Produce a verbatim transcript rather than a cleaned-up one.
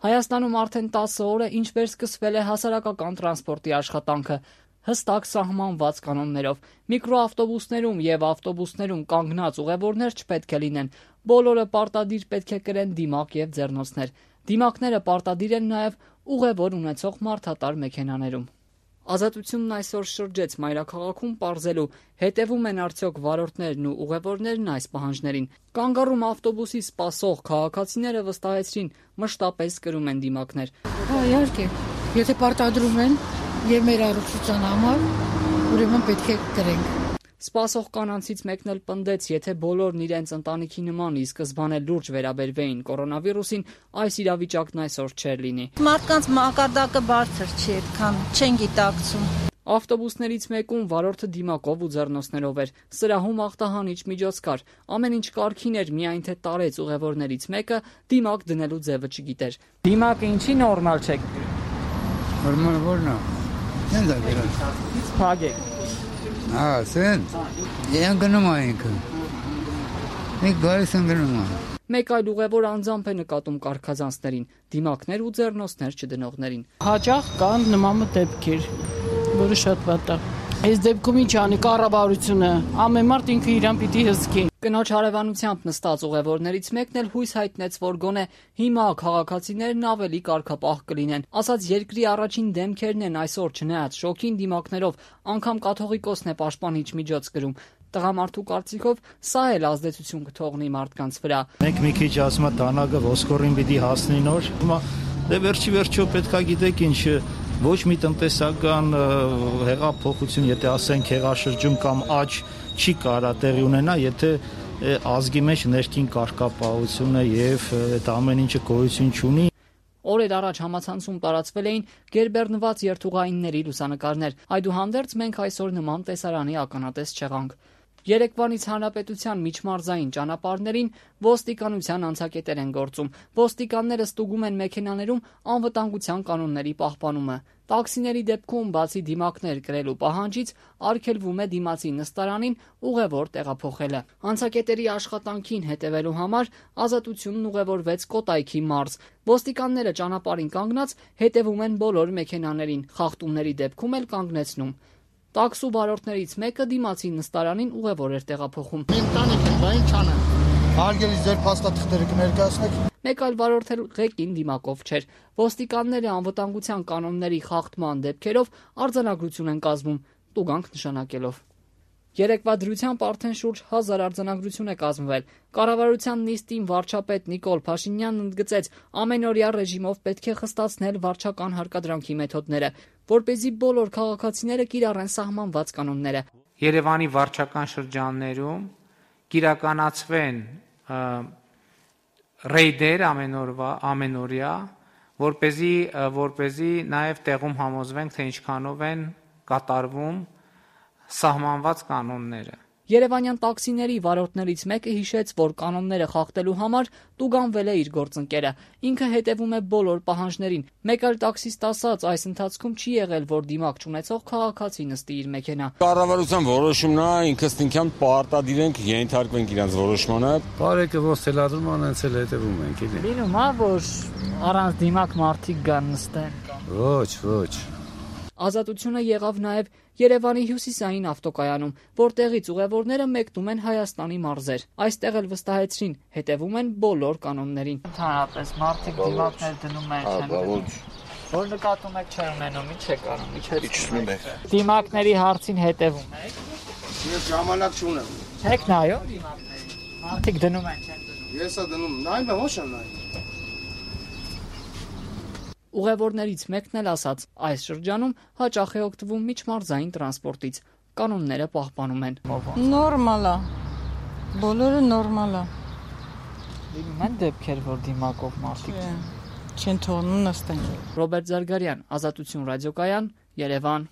Հայաստանում արդեն տասը օր է, ինչ վերսկսվել է հասարակական տրանսպորտի աշխատանքը հստակ սահմանված կանոններով։ Միկրոավտոբուսներում եւ ավտոբուսներում կանգնած ուղևորներ չպետք է լինեն։ Բոլորը պարտադիր պետք է կրեն դիմակ եւ ձեռնոցներ։ Դիմակները պարտադիր են նաեւ ուղևոր ունեցող մարդատար մեքենաներում։ Ազատությունն այսօր շրջեց մայրաքաղաքում պարզելու, հետևում են արդյոք վարորդներն ու ուղևորներն այս պահանջներին։ Կանգառում ավտոբուսի սպասող քաղաքացիները վստահեցրին, մշտապես կրում են դիմակներ։ Հա, իհարկե, եթե պարտադրում են եւ մեր առողջության համար, ուրեմն պետք է կրենք։ Սպասող կանանցից մեկն էլ պնդեց, եթե բոլորն իրենց ընտանիքի նման ի սկզբանե լուրջ վերաբերվեին կորոնավիրուսին, այս իրավիճակն այսօր չէր լինի։ Մարդկանց մակարդակը բարձր չի, այդքան չեն գիտակցում։ Ավտոբուսներից մեկում վարորդը դիմակով ու ձեռնոցներով էր։ Սրահում ախտահանիչ միջոց կար։ Ամեն ինչ կարգին էր, միայն թե տարեց ուղևորներից մեկը դիմակ դնելու ձևը չգիտեր։ Դիմակը ինչի նորմալ չէ։ Նորմալ որն է։ Ինչ է գրել։ Փագեք։ Ա, սենց։ Են գնում այնքը։ Մենք գալիս են գնում։ Մեկ այլ ուղևոր անձամբ է նկատում կարգազանցներին, դիմակներ ու ձեռնոցներ չդնողներին։ Հաճախ կան նման դեպքեր, որը շատ վատ է։ Այս դեպքում ինչ անի կառավարությունը, ամեն մարդ ինքը իրան պիտի հսկի։ Կնոջ հարևանությամբ նստած ուղևորներից մեկն էլ հույս հայտնեց, որ գոնե հիմա քաղաքացիներն ավելի կարգապահ կլինեն։ Ասած երկրի առաջին դեմքերն են այսօր չնայած շոկին դիմակներով, անգամ կաթողիկոսն է պաշտպանիչ միջոց կրում։ Տղամարդու կարծիքով սա էլ ազդեցություն կթողնի մարդկանց վրա։ Մենք մի քիչ ասում ենք դանակը ոսկորին պիտի հասնի նոր։ Հիմա դե վերջի վերջո պետքա գիտեք ինչ ոչ մի տնտեսական հեղափոխություն, եթե ասենք հեղաշրջում կամ աճ չի կարա տեղի ունենա, եթե ազգի մեջ ներքին կարգապահությունը եւ այդ ամեն ինչը գոյություն չունի։ Օրեր առաջ համացանցում տարածվել էին գերբեռնված երթուղայինների լուսանկարներ։ Այդուհանդերձ մենք այսօր նման տեսարանի ականատես չեղանք։ Երեկվանից հանրապետության միջմարզային ճանապարհներին ոստիկանության անցակետեր են գործում։ Ոստիկանները ստուգում են մեքենաներում անվտանգության կանոնների պահպանումը։ Տաքսիների դեպքում բացի դիմակներ կրելու պահանջից արգելվում է դիմացի նստարանին ուղևոր տեղափոխելը։ Անցակետերի աշխատանքին հետևելու համար Ազատությունն ուղևորվեց Կոտայքի մարզ։ Ոստիկանները ճանապարհին կանգնած հետևում են բոլոր մեքենաներին, խախտումների դեպքում էլ կանգնեցնում։ Տաքսու վարորդներից մեկը դիմացի նստարանին ուղևոր էր տեղափոխում։ Ընտանիք են, բա ինչ անեն։ Հարգելի ձեր փաստաթղթերը կներկայացնեք։ Մեկ այլ վարորդ էլ ղեկին դիմակով չէր։ Ոստիկանները անվտանգության կանոնների խախտման դեպքերով արձանագրություն են կազմում, տուգանք նշանակելով։ Երեկվա դրությամբ արդեն շուրջ հազար արձանագրություն է կազմվել։ Կառավարության նիստին վարչապետ Նիկոլ Փաշինյանն ընդգծեց, ամենօրյա ռեժիմով պետք է խստացնել վարչական հարկադրանքի մեթոդները, որպեսզի բոլոր քաղաքացիները կիրառեն սահմանված կանոնները։ Երևանի վարչական շրջաններում կիրականացվեն ռեյդեր ամենօրվա, ամենօրյա, որպեսզի որպեսզի նաև տեղում համոզվենք, թե ինչքանով են կատարվում սահմանված կանոնները։ Երևանյան տաքսիների վարորդներից մեկը հիշեց, որ կանոնները խախտելու համար տուգանվել է իր գործընկերը։ Ինքը հետևում է բոլոր պահանջներին։ Մեկ այլ տաքսիստ ասաց, այս ընթացքում չի եղել, որ դիմակ չունեցող քաղաքացի նստի իր մեքենա։ Կառավարության որոշումն է, ինքս ինքան պարտադիր ենք ենթարկվենք իրանց որոշմանը։ Բարեկը ոնց թելադրում անց էլ հետևում ենք, էլի։ Լինում է, որ առանց դիմակ մարդիկ գան նստեն։ Ոչ, ոչ։ Ազատությունը եղավ նաև Երևանի հյուսիսային ավտոկայանում, որտեղից ուղևորները մեկնում են Հայաստանի մարզեր։ Այստեղ էլ վստահեցրին, հետևում են բոլոր կանոններին։ Ընդհանրապես մարդիկ դիմակներ դնում են, չեն դնում։ Որ նկատում եք չեն ունենում, ի՞նչ եք անում, իջեցնում եք։ Դիմակների հարցին հետևում եք։ Ես ժամանակ չունեմ։ Չեք նայում դիմակներին։ Մարդիկ դնում են, չեն դնում։ Ես ա դնում, նայում եմ, ոչ եմ նայում։ Ուղևորներից մեկն էլ ասաց, այս շրջանում հաճախ է օգտվում միջմարզային տրանսպորտից, կանոնները պահպանում են։ Նորմալ է։ Բոլորը նորմալ է։ Լինում են դեպքեր, որ դիմակով մարդիկ չեն թողնում նստեն։ Ռոբերտ Զարգարյան, Ազատություն ռադիոկայան, Երևան։